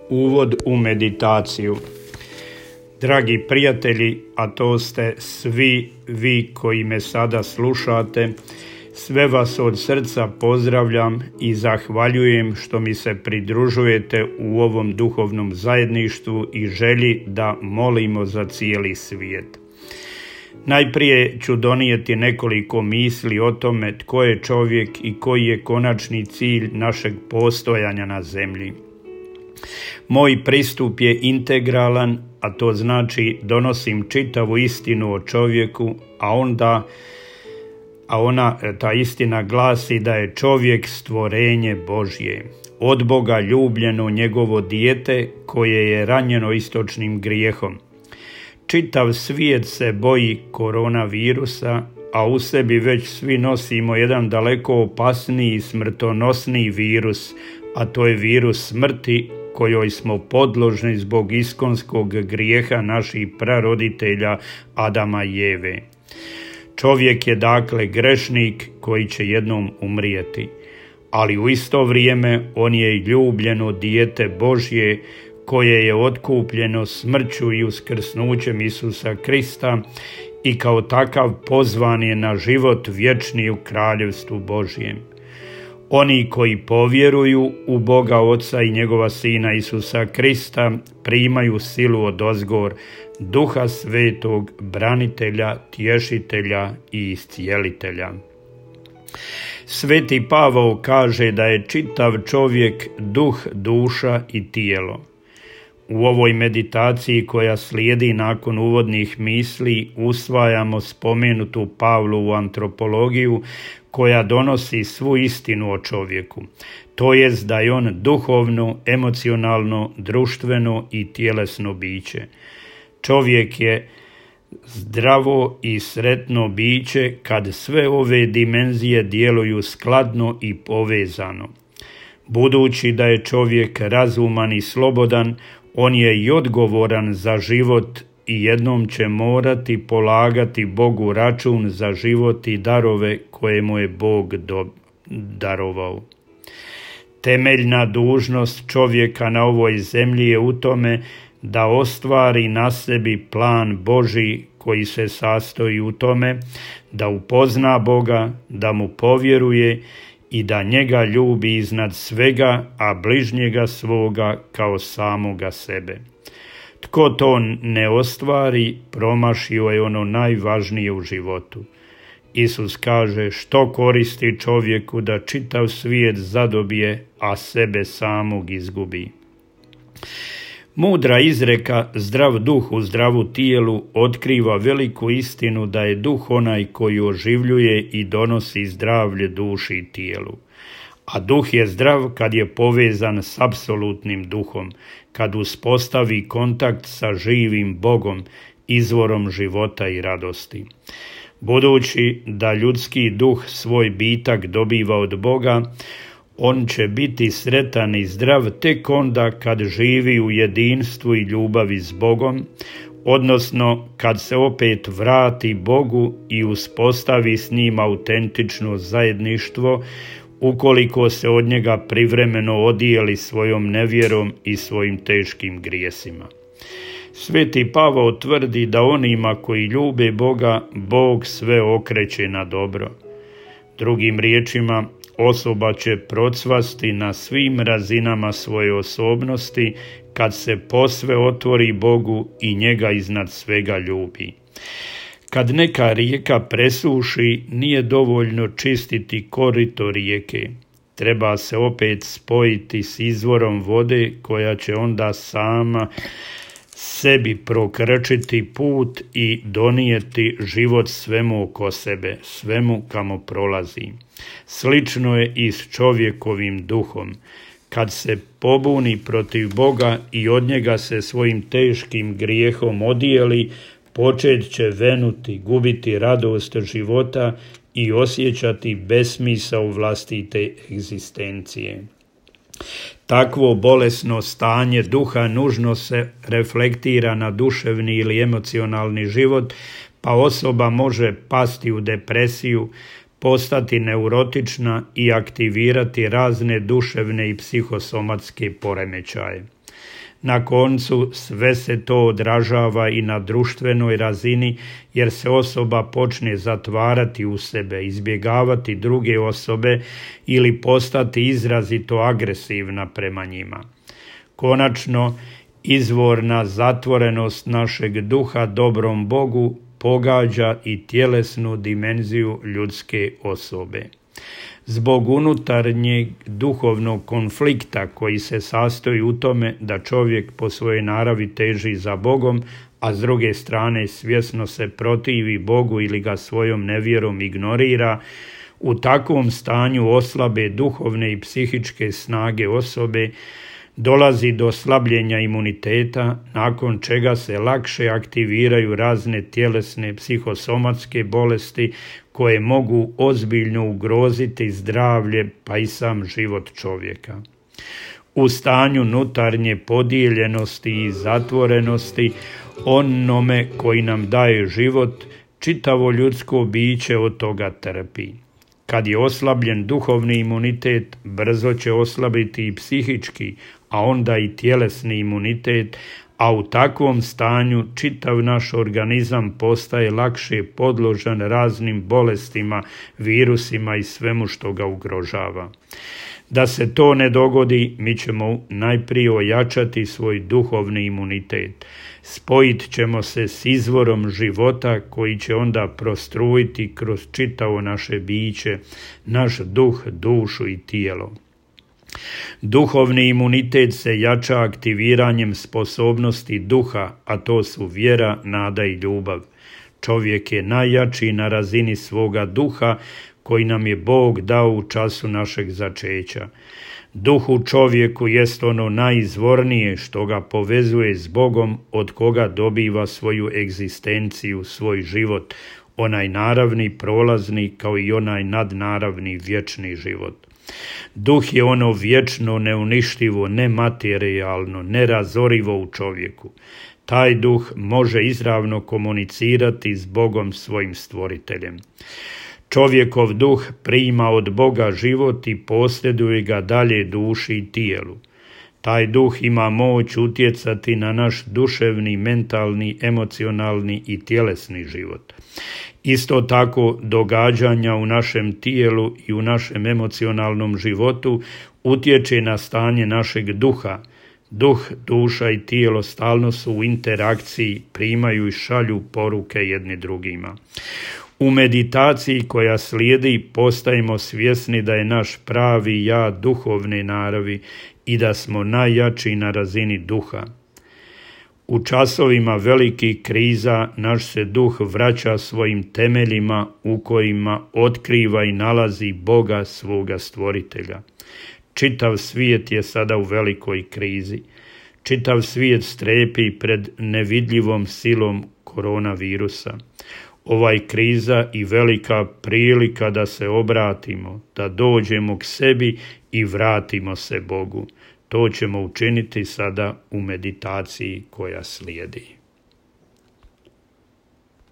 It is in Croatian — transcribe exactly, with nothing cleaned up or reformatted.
Uvod u meditaciju. Dragi prijatelji, a to ste svi vi koji me sada slušate, sve vas od srca pozdravljam i zahvaljujem što mi se pridružujete u ovom duhovnom zajedništvu i želji da molimo za cijeli svijet. Najprije ću donijeti nekoliko misli o tome tko je čovjek i koji je konačni cilj našeg postojanja na zemlji. Moj pristup je integralan, a to znači donosim čitavu istinu o čovjeku, a onda a ona, ta istina glasi da je čovjek stvorenje Božje, od Boga ljubljeno njegovo dijete koje je ranjeno istočnim grijehom. Čitav svijet se boji koronavirusa, a u sebi već svi nosimo jedan daleko opasniji i smrtonosniji virus, a to je virus smrti kojoj smo podložni zbog iskonskog grijeha naših praroditelja Adama i Eve. Čovjek je dakle grešnik koji će jednom umrijeti, ali u isto vrijeme on je i ljubljeno dijete Božje koje je otkupljeno smrću i uskrsnućem Isusa Krista i kao takav pozvan je na život vječni u kraljevstvu Božjem. Oni koji povjeruju u Boga Oca i njegova Sina Isusa Krista primaju silu odozgor, Duha Svetog, branitelja, tješitelja i iscijelitelja. Sveti Pavao kaže da je čitav čovjek duh, duša i tijelo. U ovoj meditaciji koja slijedi nakon uvodnih misli usvajamo spomenutu Pavlovu antropologiju koja donosi svu istinu o čovjeku, to jest da je on duhovno, emocionalno, društveno i tjelesno biće. Čovjek je zdravo i sretno biće kad sve ove dimenzije djeluju skladno i povezano. Budući da je čovjek razuman i slobodan, on je i odgovoran za život i jednom će morati polagati Bogu račun za život i darove koje mu je Bog do, darovao. Temeljna dužnost čovjeka na ovoj zemlji je u tome da ostvari na sebi plan Božji koji se sastoji u tome da upozna Boga, da mu povjeruje i da njega ljubi iznad svega, a bližnjega svoga kao samoga sebe. Tko to ne ostvari, promašio je ono najvažnije u životu. Isus kaže: što koristi čovjeku da čitav svijet zadobije, a sebe samog izgubi. Mudra izreka zdrav duh u zdravu tijelu otkriva veliku istinu da je duh onaj koji oživljuje i donosi zdravlje duši i tijelu. A duh je zdrav kad je povezan s apsolutnim duhom, kad uspostavi kontakt sa živim Bogom, izvorom života i radosti. Budući da ljudski duh svoj bitak dobiva od Boga, on će biti sretan i zdrav tek onda kad živi u jedinstvu i ljubavi s Bogom, odnosno kad se opet vrati Bogu i uspostavi s njim autentično zajedništvo, ukoliko se od njega privremeno odijeli svojom nevjerom i svojim teškim grijesima. Sveti Pavao tvrdi da onima koji ljube Boga, Bog sve okreće na dobro. Drugim riječima, osoba će procvasti na svim razinama svoje osobnosti kad se posve otvori Bogu i njega iznad svega ljubi. Kad neka rijeka presuši, nije dovoljno čistiti korito rijeke. Treba se opet spojiti s izvorom vode koja će onda sama sebi prokrčiti put i donijeti život svemu oko sebe, svemu kamo prolazi. Slično je i s čovjekovim duhom. Kad se pobuni protiv Boga i od njega se svojim teškim grijehom odijeli, počet će venuti, gubiti radost života i osjećati besmisao vlastite egzistencije. Takvo bolesno stanje duha nužno se reflektira na duševni ili emocionalni život, pa osoba može pasti u depresiju, postati neurotična i aktivirati razne duševne i psihosomatske poremećaje. Na koncu sve se to odražava i na društvenoj razini, jer se osoba počne zatvarati u sebe, izbjegavati druge osobe ili postati izrazito agresivna prema njima. Konačno, izvorna zatvorenost našeg duha dobrom Bogu pogađa i tjelesnu dimenziju ljudske osobe. Zbog unutarnjeg duhovnog konflikta koji se sastoji u tome da čovjek po svojoj naravi teži za Bogom, a s druge strane svjesno se protivi Bogu ili ga svojom nevjerom ignorira, u takvom stanju oslabe duhovne i psihičke snage osobe, dolazi do slabljenja imuniteta, nakon čega se lakše aktiviraju razne tjelesne psihosomatske bolesti koje mogu ozbiljno ugroziti zdravlje pa i sam život čovjeka. U stanju unutarnje podijeljenosti i zatvorenosti, onome koji nam daje život, čitavo ljudsko biće od toga trpi. Kad je oslabljen duhovni imunitet, brzo će oslabiti i psihički, a onda i tjelesni imunitet, a u takvom stanju čitav naš organizam postaje lakše podložan raznim bolestima, virusima i svemu što ga ugrožava. Da se to ne dogodi, mi ćemo najprije ojačati svoj duhovni imunitet. Spojit ćemo se s izvorom života koji će onda prostrujiti kroz čitavo naše biće, naš duh, dušu i tijelo. Duhovni imunitet se jača aktiviranjem sposobnosti duha, a to su vjera, nada i ljubav. Čovjek je najjači na razini svoga duha koji nam je Bog dao u času našeg začeća. Duh u čovjeku jest ono najizvornije što ga povezuje s Bogom, od koga dobiva svoju egzistenciju, svoj život, onaj naravni, prolazni, kao i onaj nadnaravni, vječni život. Duh je ono vječno, neuništivo, nematerijalno, nerazorivo u čovjeku. Taj duh može izravno komunicirati s Bogom svojim stvoriteljem. Čovjekov duh prima od Boga život i posjeduje ga dalje duši i tijelu. Taj duh ima moć utjecati na naš duševni, mentalni, emocionalni i tjelesni život. Isto tako, događanja u našem tijelu i u našem emocionalnom životu utječe na stanje našeg duha. Duh, duša i tijelo stalno su u interakciji, primaju i šalju poruke jedni drugima. U meditaciji koja slijedi postajemo svjesni da je naš pravi ja duhovne naravi i da smo najjači na razini duha. U časovima velikih kriza naš se duh vraća svojim temeljima u kojima otkriva i nalazi Boga svoga stvoritelja. Čitav svijet je sada u velikoj krizi. Čitav svijet strepi pred nevidljivom silom koronavirusa. Ovaj kriza i velika prilika da se obratimo, da dođemo k sebi i vratimo se Bogu. To ćemo učiniti sada u meditaciji koja slijedi.